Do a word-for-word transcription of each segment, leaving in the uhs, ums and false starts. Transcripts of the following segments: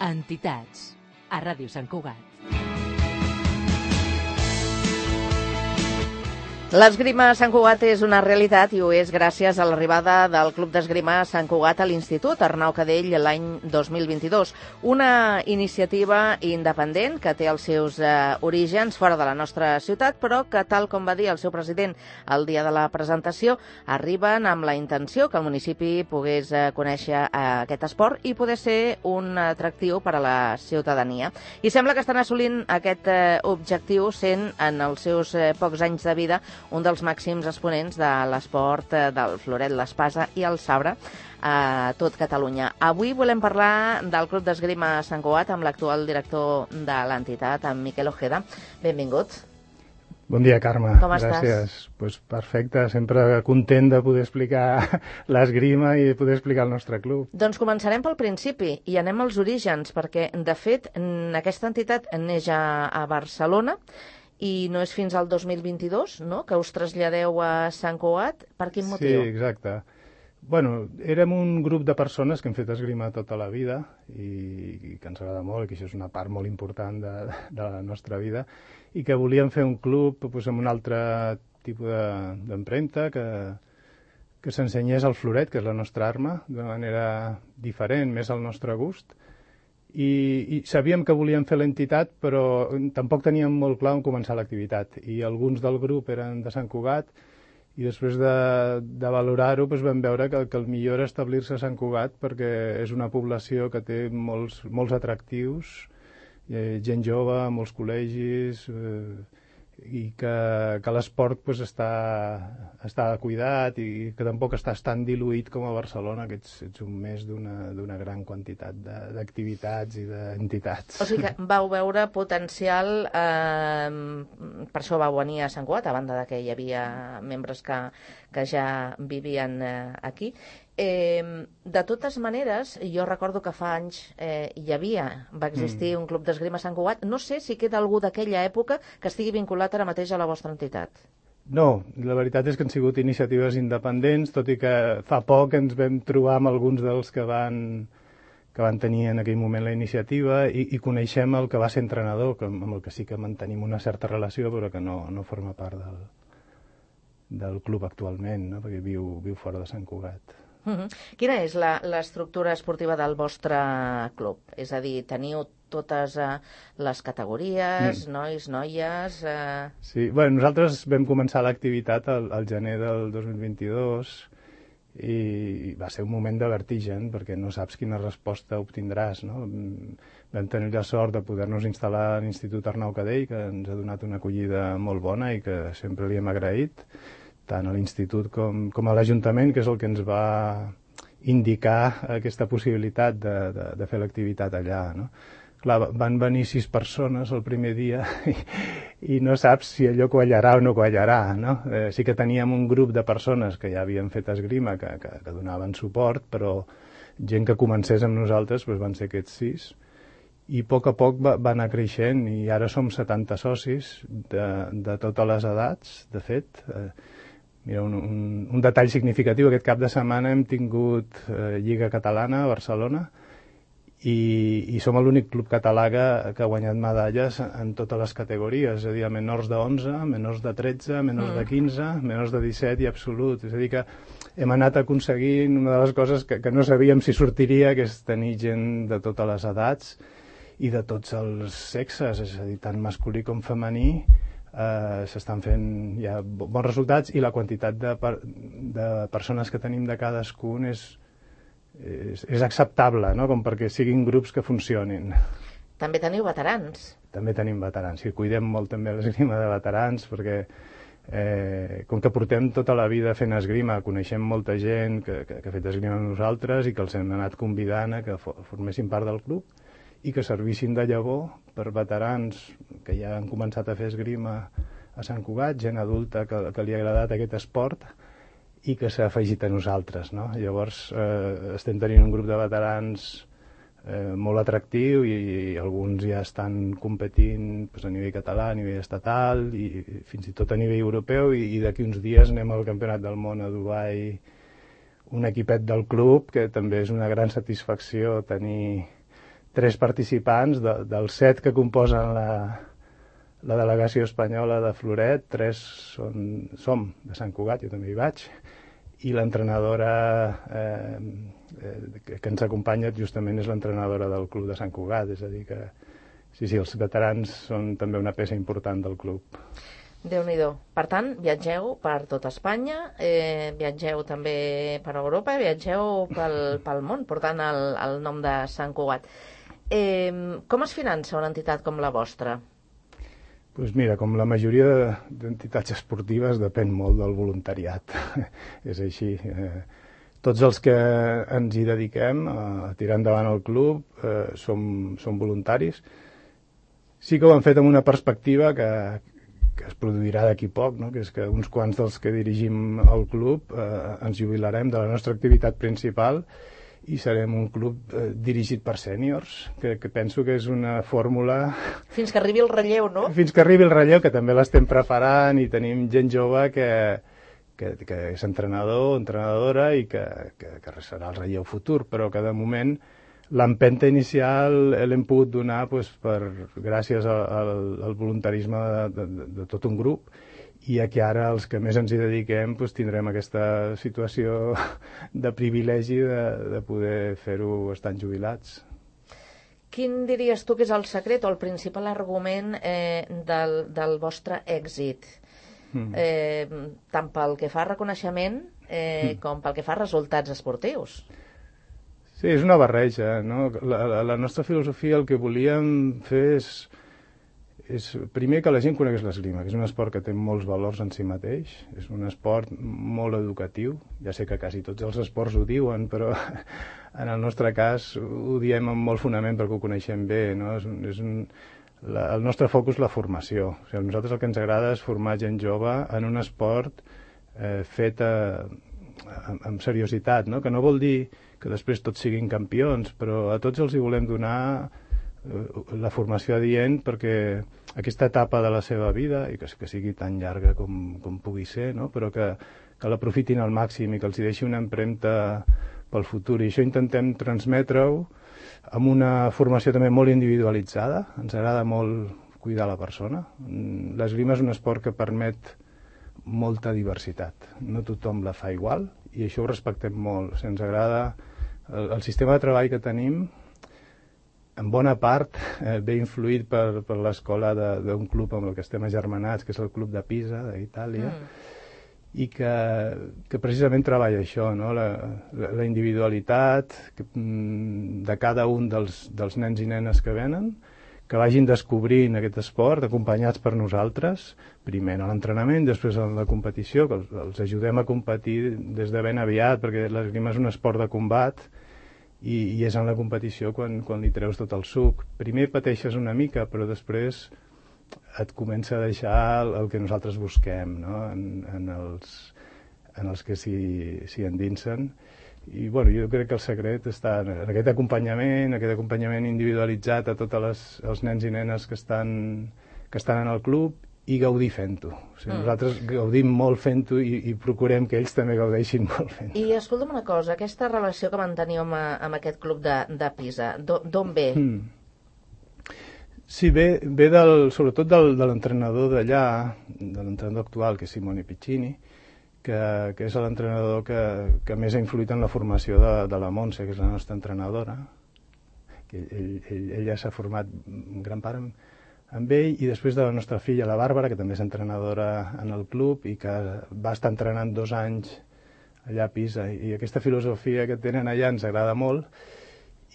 Entitats, a Ràdio Sant Cugat. L'esgrima a Sant Cugat és una realitat i ho és gràcies a l'arribada del Club d'Esgrima a Sant Cugat a l'Institut Arnau Cadell l'any dos mil vint-i-dos. Una iniciativa independent que té els seus eh, orígens fora de la nostra ciutat, però que, tal com va dir el seu president el dia de la presentació, arriben amb la intenció que el municipi pogués eh, conèixer eh, aquest esport i poder ser un atractiu per a la ciutadania. I sembla que estan assolint aquest eh, objectiu sent, en els seus eh, pocs anys de vida, un dels màxims exponents de l'esport del floret, l'espasa i el sabre a tot Catalunya. Avui volem parlar del Club d'Esgrima Sant Cugat amb l'actual director de l'entitat, en Miquel Ojeda. Benvingut. Bon dia, Carme. Com estàs? Gràcies. Pues perfecte, sempre content de poder explicar l'esgrima i de poder explicar el nostre club. Doncs començarem pel principi i anem als orígens, perquè, de fet, aquesta entitat neix a, a Barcelona i no és fins al dos mil vint-i-dos, no?, que us traslladeu a Sant Cugat. Per quin motiu? Sí, exacte. Bueno, érem un grup de persones que hem fet esgrima tota la vida i, i que ens agrada molt, i que això és una part molt important de, de la nostra vida, i que volíem fer un club pues, amb un altre tipus d'empremta, que, que s'ensenyés el floret, que és la nostra arma, d'una manera diferent, més al nostre gust. I, i sabíem que volíem fer l'entitat, però tampoc teníem molt clar on començar l'activitat. I alguns del grup eren de Sant Cugat, i després de, de valorar-ho doncs vam veure que, que el millor era establir-se a Sant Cugat, perquè és una població que té molts, molts atractius, eh, gent jove, molts col·legis, eh, i que, que l'esport pues, està, està cuidat i que tampoc estàs tan diluït com a Barcelona, que ets, ets un més d'una gran quantitat d'activitats i d'entitats. O sigui que vau veure potencial, eh, per això vau venir a Sant Cugat, a banda de que hi havia membres que, que ja vivien eh, aquí. Eh, de totes maneres, jo recordo que fa anys eh, hi havia, va existir mm. un club d'esgrima a Sant Cugat. No sé si queda algú d'aquella època que estigui vinculat ara mateix a la vostra entitat. No, la veritat és que han sigut iniciatives independents, tot i que fa poc ens vam trobar amb alguns dels que van, que van tenir en aquell moment la iniciativa i, i coneixem el que va ser entrenador, que, amb el que sí que mantenim una certa relació, però que no, no forma part del, del club actualment, no? Perquè viu, viu fora de Sant Cugat. Uh-huh. Quina és l'estructura esportiva del vostre club? És a dir, teniu totes uh, les categories, mm. nois, noies... Uh... Sí, bueno, nosaltres vam començar l'activitat al, al gener del dos mil vint-i-dos i va ser un moment de vertigen, perquè no saps quina resposta obtindràs, no? Vam tenir la sort de poder-nos instal·lar a l'Institut Arnau Cadell, que ens ha donat una acollida molt bona i que sempre li hem agraït, tant a l'Institut com, com a l'Ajuntament, que és el que ens va indicar aquesta possibilitat de, de, de fer l'activitat allà, no? Clar, van venir sis persones el primer dia i, i no saps si allò quallarà o no quallarà, no? Eh, sí que teníem un grup de persones que ja havien fet esgrima, que, que, que donaven suport, però gent que comencés amb nosaltres doncs van ser aquests sis. I a poc a poc va, va anar creixent i ara som setanta socis de, de totes les edats, de fet. Eh, Mira, un, un, un detall significatiu, aquest cap de setmana hem tingut eh, Lliga Catalana a Barcelona i, i som l'únic club català que, que ha guanyat medalles en totes les categories, és a dir, a menors de onze, menors de tretze, menors mm. de quinze, menors de disset i absolut. És a dir, que hem anat aconseguint una de les coses que, que no sabíem si sortiria, que és tenir gent de totes les edats i de tots els sexes, és a dir, tant masculí com femení. Uh, s'estan fent ja bons resultats i la quantitat de, per, de persones que tenim de cadascun és, és, és acceptable, no? Com perquè siguin grups que funcionin. També teniu veterans. També tenim veterans, sí, cuidem molt també l'esgrima de veterans perquè eh, com que portem tota la vida fent esgrima, coneixem molta gent que, que, que ha fet esgrima amb nosaltres i que els hem anat convidant a que formessin part del club i que servissin de llavor per veterans que ja han començat a fer esgrima a Sant Cugat, gent adulta que, que li ha agradat aquest esport i que s'ha afegit a nosaltres, no? Llavors eh, estem tenint un grup de veterans eh, molt atractiu i, i alguns ja estan competint pues, a nivell català, a nivell estatal i, i fins i tot a nivell europeu i, i d'aquí uns dies anem al Campionat del Món a Dubai, un equipet del club, que també és una gran satisfacció tenir tres participants, de, dels set que composen la, la delegació espanyola de Floret, tres són, som de Sant Cugat, jo també hi vaig, i l'entrenadora eh, eh, que, que ens acompanya justament és l'entrenadora del club de Sant Cugat, és a dir que sí, sí, els veterans són també una peça important del club. Déu-n'hi-do. Per tant, viatgeu per tot Espanya, eh, viatgeu també per Europa, viatgeu pel, pel món, portant el, el nom de Sant Cugat. Eh, com es finança una entitat com la vostra? Pues mira, com la majoria d'entitats esportives, depèn molt del voluntariat. És així. Eh, tots els que ens hi dediquem a tirar endavant el club eh, som, som voluntaris. Sí que ho han fet amb una perspectiva que, que es produirà d'aquí poc, no? Que és que uns quants dels que dirigim el club eh, ens jubilarem de la nostra activitat principal i serem un club eh, dirigit per sèniors, que, que penso que és una fórmula... Fins que arribi el relleu, no? Fins que arribi el relleu, que també l'estem preparant i tenim gent jove que, que, que és entrenador, entrenadora i que, que, que serà el relleu futur, però que de moment l'empenta inicial l'hem pogut donar pues, per, gràcies al, al, al voluntarisme de, de, de tot un grup, i que ara els que més ens hi dediquem pues, tindrem aquesta situació de privilegi de, de poder fer-ho estant jubilats. Quin diries tu que és el secret o el principal argument eh, del, del vostre èxit? Mm. Eh, tant pel que fa a reconeixement eh, mm. com pel que fa a resultats esportius. Sí, és una barreja, no? La, la, la nostra filosofia, el que volíem fer és és primer que la gent conegués l'esgrima, que és un esport que té molts valors en si mateix, és un esport molt educatiu, ja sé que quasi tots els esports ho diuen, però en el nostre cas ho diem amb molt fonament perquè ho coneixem bé, no? És un, és un, la, el nostre focus és la formació, o sigui, a nosaltres el que ens agrada és formar gent jove en un esport eh, fet a, amb, amb seriositat, no? Que no vol dir que després tots siguin campions, però a tots els hi volem donar la formació adient perquè aquesta etapa de la seva vida, i que, que sigui tan llarga com, com pugui ser, no? Però que, que l'aprofitin al màxim i que els hi deixi una empremta pel futur. I això intentem transmetre-ho amb una formació també molt individualitzada. Ens agrada molt cuidar la persona. L'esgrima és un esport que permet molta diversitat. No tothom la fa igual i això ho respectem molt. O sigui, ens agrada el, el sistema de treball que tenim en bona part eh, ve influït per, per l'escola d'un club amb el que estem agermanats, que és el Club de Pisa, d'Itàlia, mm. i que, que precisament treballa això, no? la, la, la individualitat que, de cada un dels, dels nens i nenes que venen, que vagin descobrint aquest esport acompanyats per nosaltres, primer a l'entrenament, després a la competició, que els, els ajudem a competir des de ben aviat, perquè l'esgrima és un esport de combat, I, i és en la competició quan, quan li treus tot el suc. Primer pateixes una mica, però després et comença a deixar el, el que nosaltres busquem, no? en, en, els, en els que s'hi endinsen. I bueno, jo crec que el secret està en aquest acompanyament, aquest acompanyament individualitzat a tots les, els nens i nenes que estan, que estan en el club i gaudir fent-ho. O sigui, mm. Nosaltres gaudim molt fent-ho i, i procurem que ells també gaudeixin molt fent-ho. I escolta'm una cosa, aquesta relació que manteniu amb, amb aquest club de, de Pisa, d'on ve? Mm. Sí, ve, ve del, sobretot del, de l'entrenador d'allà, de l'entrenador actual, que és Simone Piccini, que, que és l'entrenador que, que més ha influït en la formació de, de la Montse, que és la nostra entrenadora. Que ell, ell, ell ja s'ha format en gran part amb, amb ell, i després de la nostra filla, la Bàrbara, que també és entrenadora en el club i que va estar entrenant dos anys allà a Pisa. I aquesta filosofia que tenen allà ens agrada molt.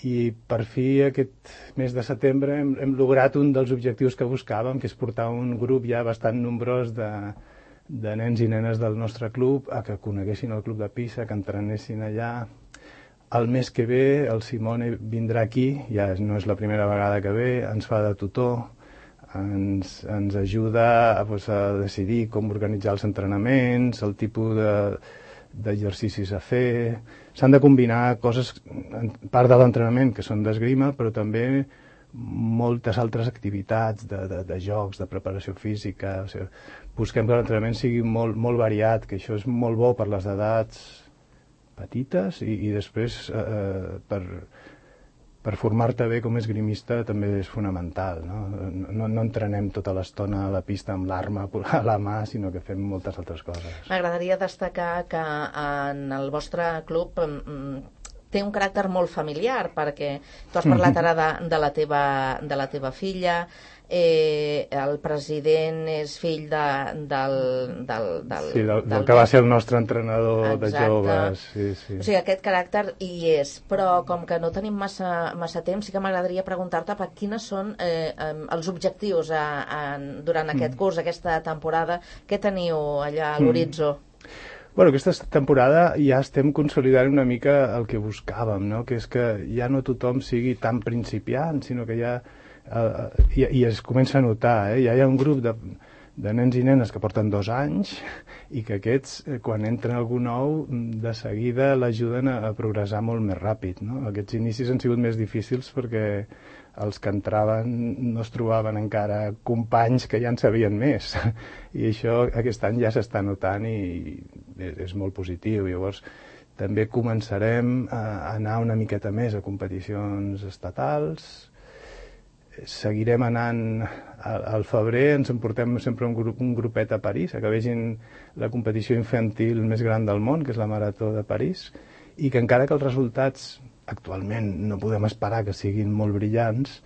I per fi aquest mes de setembre hem, hem lograt un dels objectius que buscàvem, que és portar un grup ja bastant nombrós de, de nens i nenes del nostre club a que coneguessin el club de Pisa, que entrenessin allà. El mes que ve el Simone vindrà aquí, ja no és la primera vegada que ve, ens fa de tutor, ens, ens ajuda pues, a decidir com organitzar els entrenaments, el tipus d'exercicis de, a fer. S'han de combinar coses, part de l'entrenament, que són d'esgrima, però també moltes altres activitats de, de, de jocs, de preparació física. O sigui, busquem que l'entrenament sigui molt, molt variat, que això és molt bo per les edats petites i, i després eh, per, per formar-te bé com a esgrimista també és fonamental, no? No, no entrenem tota l'estona a la pista amb l'arma a la mà, sinó que fem moltes altres coses. M'agradaria destacar que en el vostre club té un caràcter molt familiar, perquè tu has parlat ara de, de, la, teva, de la teva filla, eh, el president és fill de, del, del, del... Sí, del, del, del que va ser el nostre entrenador. Exacte. De joves. Sí, sí. O sigui, aquest caràcter hi és, però com que no tenim massa, massa temps, sí que m'agradaria preguntar-te per quines són eh, els objectius a, a, durant aquest mm. curs, aquesta temporada, què teniu allà a l'horitzó? Mm. Bueno, aquesta temporada ja estem consolidant una mica el que buscàvem, no? Que és que ja no tothom sigui tan principiant, sinó que ja Uh, i, i es comença a notar, eh? Ja hi ha un grup de, de nens i nenes que porten dos anys i que aquests, eh, quan entra algú nou, de seguida l'ajuden a, a progressar molt més ràpid, no? Aquests inicis han sigut més difícils perquè els que entraven no es trobaven encara companys que ja en sabien més, i això aquest any ja s'està notant i és, és molt positiu. Llavors també començarem a anar una miqueta més a competicions estatals. Seguirem anant al febrer, ens emportem sempre un, grup, un grupet a París, a que vegin la competició infantil més gran del món, que és la Marató de París, i que encara que els resultats actualment no podem esperar que siguin molt brillants,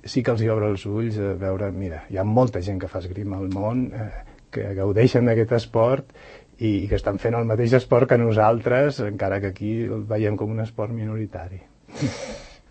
sí que els hi obre els ulls a veure, mira, hi ha molta gent que fa esgrima al món, eh, que gaudeixen d'aquest esport i, i que estan fent el mateix esport que nosaltres, encara que aquí el veiem com un esport minoritari.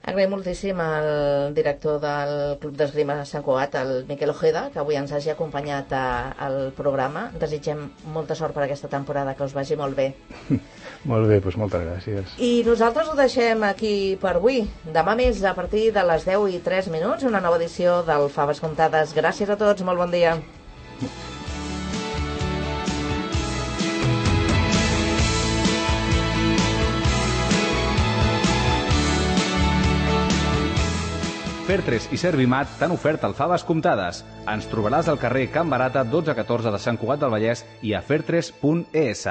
Agraïm moltíssim al director del Club d'Esgrima Sant Cugat, el Miquel Ojeda, que avui ens hagi acompanyat a, al programa. Desitgem molta sort per aquesta temporada, que us vagi molt bé. Molt bé, doncs moltes gràcies. I nosaltres ho deixem aquí per avui. Demà més, a partir de les deu i tres minuts, una nova edició del Faves Comptades. Gràcies a tots, molt bon dia. Fertres i Servimat t'han ofert el Faves Comptades. Ens trobaràs al carrer Can Barata dotze catorze de Sant Cugat del Vallès i a fertres punt es.